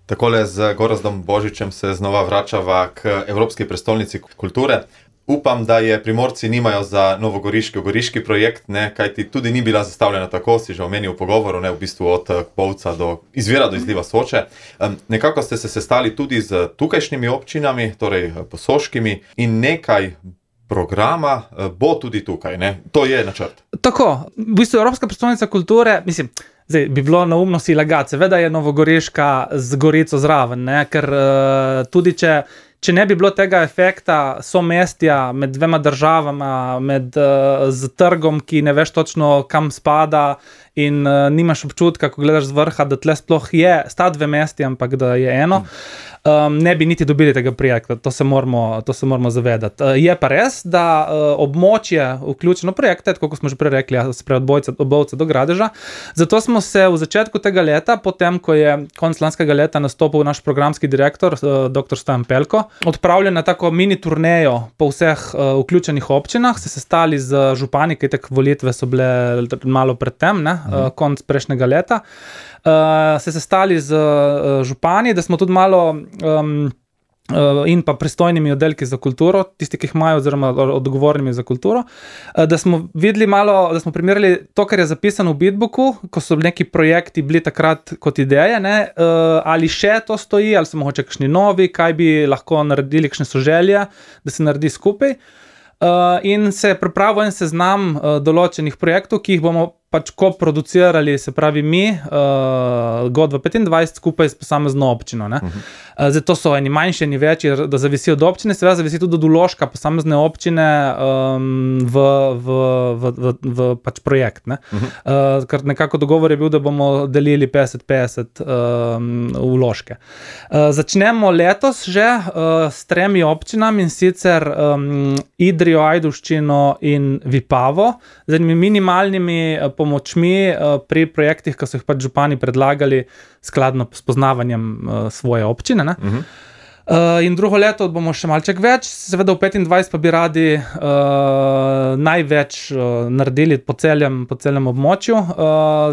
Takole z Gorazdom Božičem se znova vračava k Evropski prestolnici kulture. Upam, da je Primorci nimajo za novogoriški projekt, ne, kajti tudi ni bila zastavljena tako, si že omenil v pogovoru, ne, v bistvu od Bovca do izvira do izliva Soče. Nekako ste se sestali tudi z tukajšnjimi občinami, torej posoškimi, in nekaj programa bo tudi tukaj, ne? To je načrt. Tako, v bistvu Evropska prestolnica kulture, mislim, zdaj bi bilo neumno si lagati, seveda je Novogoriška z Gorico zraven, ne? Ker tudi če ne bi bilo tega efekta somestja med dvema državama, z trgom, ki ne veš točno kam spada in nimaš občutka, ko gledaš z vrha, da tle sploh sta dve mesti, ampak da je eno, ne bi niti dobili tega projekta, to se moramo zavedati. Je pa res, da območje vključeno projekte, tako kot smo že prej rekli, od Bovca do Gradeža, zato smo se v začetku tega leta, potem ko je konec lanskega leta nastopil naš programski direktor, dr. Stojan Pelko, odpravili na tako mini turnejo po vseh vključenih občinah, se sestali z župani, ki tak volitve so bile malo predtem, konec prejšnjega leta, se sestali z župani, da smo tudi malo in pa pristojnimi oddelki za kulturo, tisti, ki jih imajo, oziroma odgovornimi za kulturo, da smo videli malo, da smo primerjali to, kar je zapisano v Bitbooku, ko so neki projekti bili takrat kot ideje, ne, ali še to stoji, ali so mogoče kakšni novi, kaj bi lahko naredili, kakšne so želje, da se naredi skupaj. In se je pripravil en seznam določenih projektov, ki jih bomo pač koproducirali, se pravi mi, Godva 25, skupaj s posamezno občino. Ne? Zdaj to so eni manjši, eni večji, da zavisi od občine, seveda zavisi tudi od vložka posamezne občine v pač projekt. Ne? Ker nekako dogovor je bil, da bomo delili 50-50 vložke. Začnemo letos že s 3 občinami, in sicer Idrijo, Ajdovščino in Vipavo, z enimi minimalnimi pomočmi pri projektih, ki so jih pač župani predlagali skladno s poznavanjem svoje občine. Ne? In drugo leto bomo še malček več, seveda v 25 pa bi radi največ naredili po celem območju.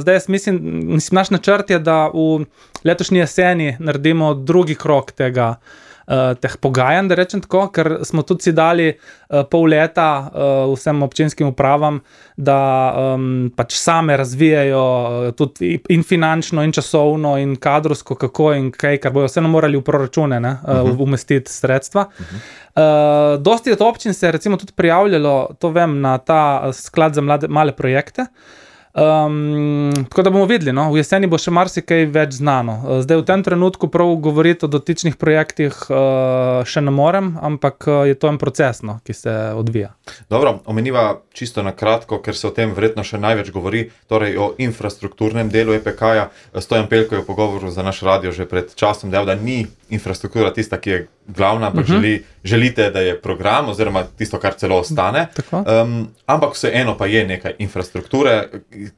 Zdaj jaz mislim, naš načrt je, da v letošnji jeseni naredimo drugi krog teh pogajanj, da rečem tako, ker smo tudi si dali pol leta vsem občinskim upravam, da pač same razvijajo tudi in finančno, in časovno, in kadrovsko, kako in kaj, kar bojo vseeno morali v proračune umestiti sredstva. Dosti od občin se je recimo tudi prijavljalo, to vem, na ta sklad za male projekte. Tako da bomo videli, no? V jeseni bo še marsikaj več znano. Zdaj v tem trenutku prav govoriti o dotičnih projektih še ne morem, ampak je to en proces, no, ki se odvija. Dobro, omeniva čisto na kratko, ker se o tem verjetno še največ govori, torej o infrastrukturnem delu EPK-ja. Stojan Pelko je v pogovoru za naš radio že pred časom dejal, da ni infrastruktura tista, ki je glavna, ampak želite, da je program, oziroma tisto, kar celo ostane. Ampak vseeno pa je nekaj infrastrukture.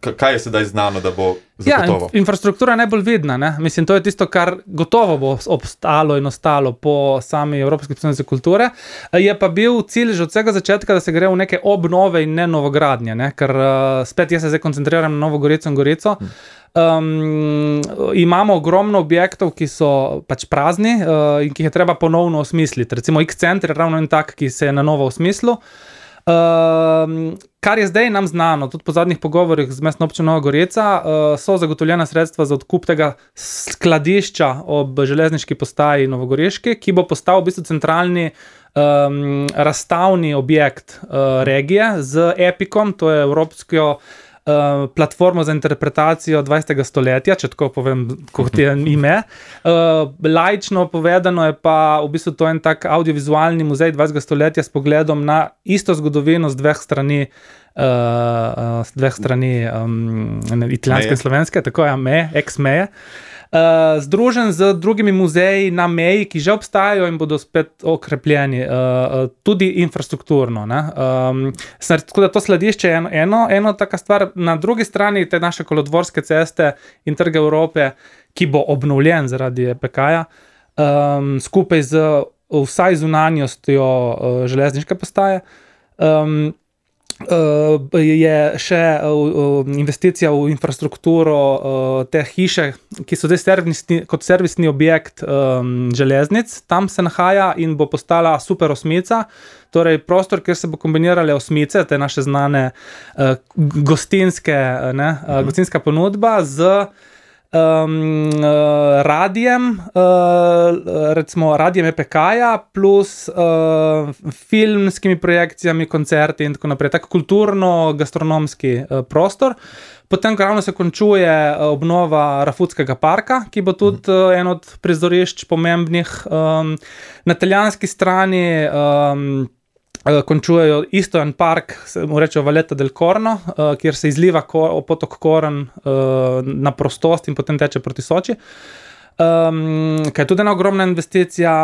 Kaj je sedaj znano, da bo zagotovo? Ja, infrastruktura je najbolj vidna, ne? Mislim, to je tisto, kar gotovo bo obstalo in ostalo po sami Evropski prestolnici kulture. Je pa bil cilj že od vsega začetka, da se gre v neke obnove in ne novogradnje, ne? Ker spet jaz se zdaj koncentriram na Novo Gorico in Gorico. Imamo ogromno objektov, ki so pač prazni in ki jih je treba ponovno osmisliti. Recimo X-Center je ravno en tak, ki se je na novo osmislil. Kar je zdaj nam znano, tudi po zadnjih pogovorih z Mestno občino Nova Gorica, so zagotovljena sredstva za odkup tega skladišča ob železniški postaji Novogoriški, ki bo postal v bistvu centralni razstavni objekt regije z Epicom, to je evropsko platformo za interpretacijo 20. stoletja, če tako povem, kot je ime. Laično povedano je pa v bistvu to en tak audiovizualni muzej 20. stoletja s pogledom na isto zgodovino z dveh strani italijanske in slovenske, tako je, ex-meje. Združen z drugimi muzeji na meji, ki že obstajajo in bodo spet okrepljeni, tudi infrastrukturno. Tako da to skladišče je eno taka stvar. Na drugi strani te naše kolodvorske ceste in Trg Evrope, ki bo obnovljen zaradi EPK-ja, skupaj z vsaj zunanjostjo železniške postaje. je še investicija v infrastrukturo te hiše, ki so zdaj kot servisni objekt železnic, tam se nahaja in bo postala super osmica, torej prostor, kjer se bo kombinirale osmice, te naše znane gostinska ponudba z radijem, recimo radijem EPK-ja plus filmskimi projekcijami, koncerti in tako naprej, tako kulturno-gastronomski prostor. Potem ravno se končuje obnova Rafutskega parka, ki bo tudi en od prizorišč pomembnih. Na italijanski strani končujejo isto en park, mu rečejo Valletta del Corno, kjer se izliva potok Koren na prostost in potem teče proti Soči. Kaj je tudi ena ogromna investicija,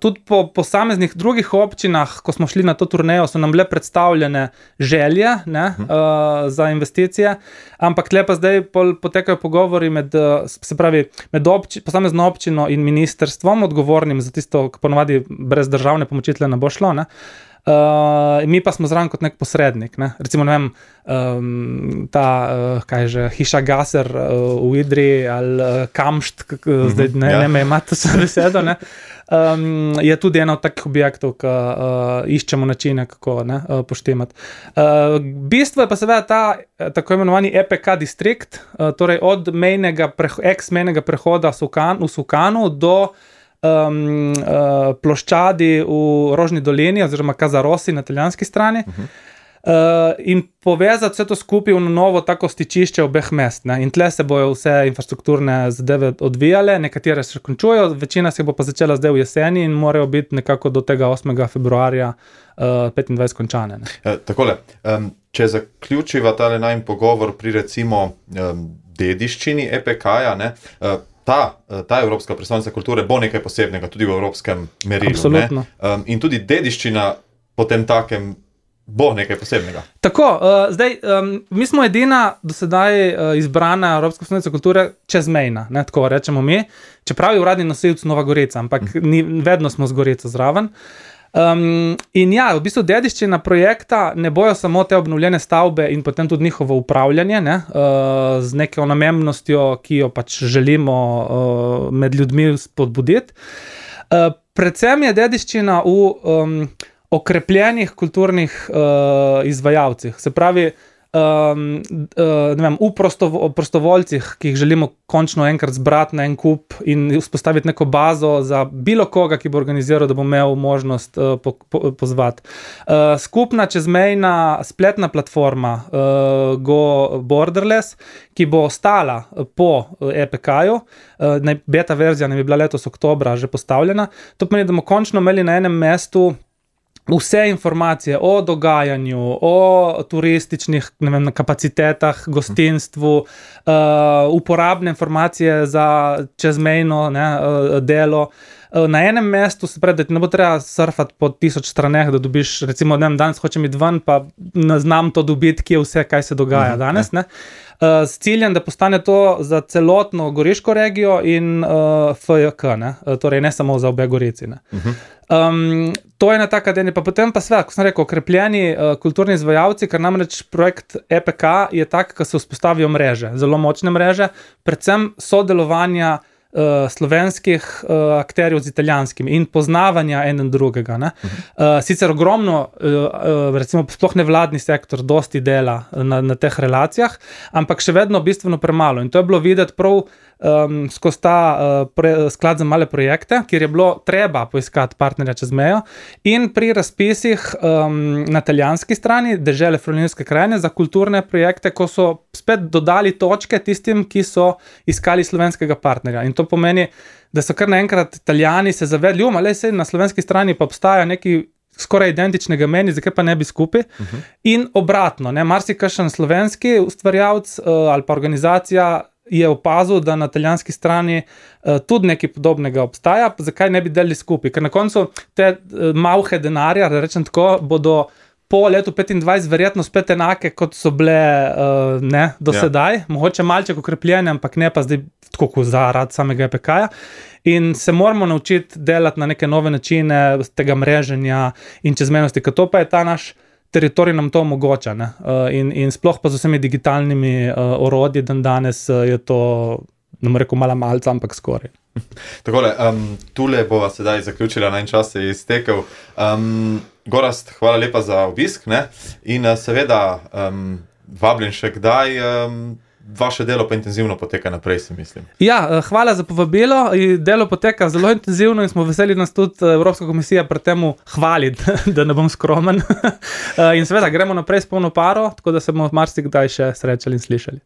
tudi po posameznih drugih občinah, ko smo šli na to turnejo, so nam bile predstavljene želje za investicije, ampak tle pa zdaj potekajo pogovori med posamezno občino in ministrstvom, odgovornim za tisto, ki ponovadi brez državne pomoči tle ne bo šlo, mi pa smo zraven kot nek posrednik, recimo, ne vem, hiša Gaser v Idri ali Kamšt, zdaj ne me imate se besedo, je tudi ena od takih objektov, ki iščemo načine, kako poštemati. Bistvo je pa seveda ta tako imenovani EPK distrikt, torej od ex-mejnega prehoda v Sukanu do ploščadi v Rožni dolini oziroma Kazarosi na italijanski strani in povezati vse to skupaj v novo tako stičišče obeh mest. In tle se bojo vse infrastrukturne zadeve odvijale, nekatere se končujejo, večina se bo pa začela zdaj v jeseni in morajo biti nekako do tega 8. februarja 25 končane. Takole, če zaključiva tale najin pogovor pri recimo dediščini EPK-ja, ta Evropska prestolnica kulture bo nekaj posebnega tudi v evropskem merilu. Absolutno. In tudi dediščina potem takem bo nekaj posebnega. Tako, zdaj, mi smo edina do sedaj izbrana Evropska prestolnica kulture čezmejna, tako rečemo mi, čeprav je uradni nosilec Nova Gorica, ampak vedno smo z Gorico zraven. In ja, v bistvu dediščina projekta ne bojo samo te obnovljene stavbe in potem tudi njihovo upravljanje, z neko namembnostjo, ki jo pač želimo med ljudmi spodbuditi. Predvsem je dediščina v okrepljenih kulturnih izvajalcih, se pravi, ne vem, v prostovoljcih, ki jih želimo končno enkrat zbrati na en kup in vzpostaviti neko bazo za bilo koga, ki bo organiziral, da bo imel možnost pozvati. Skupna čezmejna spletna platforma Go Borderless, ki bo ostala po EPK-ju, beta verzija ne bi bila letos oktobra že postavljena, to pomeni, da bomo končno imeli na enem mestu vse informacije o dogajanju, o turističnih, ne vem, kapacitetah, gostinstvu, uporabne informacije za čezmejno delo. Na enem mestu, se pravi, da ti ne bo treba surfati po 1000 straneh, da dobiš, recimo, danes hočem iti ven, pa ne znam to dobiti, kje vse, kaj se dogaja danes, s ciljem, da postane to za celotno Goriško regijo in FJK, torej ne samo za obe Gorici. To je ena taka denja, pa potem pa sve, kot sem rekel, okrepljeni kulturni izvajalci, ker namreč projekt EPK je tak, ko se vzpostavijo mreže, zelo močne mreže, predvsem sodelovanja slovenskih akterjev z italijanskimi in poznavanja eden drugega. Sicer ogromno, recimo sploh nevladni sektor, dosti dela na teh relacijah, ampak še vedno bistveno premalo. In to je bilo videti prav skozi ta sklad za male projekte, kjer je bilo treba poiskati partnerja čez mejo in pri razpisih na italijanski strani dežele Friulinske krajine za kulturne projekte, ko so spet dodali točke tistim, ki so iskali slovenskega partnerja. In to pomeni, da so kar naenkrat Italijani se zavedli, saj na slovenski strani pa obstaja neki skoraj identičnega meni, zakaj pa ne bi skupaj. In obratno, marsikakšen slovenski ustvarjalec ali pa organizacija je opazil, da na italijanski strani tudi nekaj podobnega obstaja, zakaj ne bi delili skupaj, ker na koncu te malhe denarja, da rečem tako, bodo po letu 25 verjetno spet enake, kot so bile do sedaj, mogoče malček okrepljene, ampak ne pa zdaj tako zaradi samega EPK-ja. In se moramo naučiti delati na neke nove načine tega mreženja in čezmejnosti, ker to pa je ta naš teritorij nam to omogoča. Ne? In sploh pa z vsemi digitalnimi orodji danes je to, ne bom rekel malca, ampak skoraj. Takole, tule bova sedaj zaključila, na en čas se je iztekel. Gorazd, hvala lepa za obisk, ne? In seveda vabljen še kdaj, vaše delo pa intenzivno poteka naprej, si mislim. Ja, hvala za povabilo. Delo poteka zelo intenzivno in smo veseli, nas tudi Evropska komisija pri temu hvali, da ne bom skromen. In seveda gremo naprej s polno paro, tako da se bomo marsikdaj še srečali in slišali.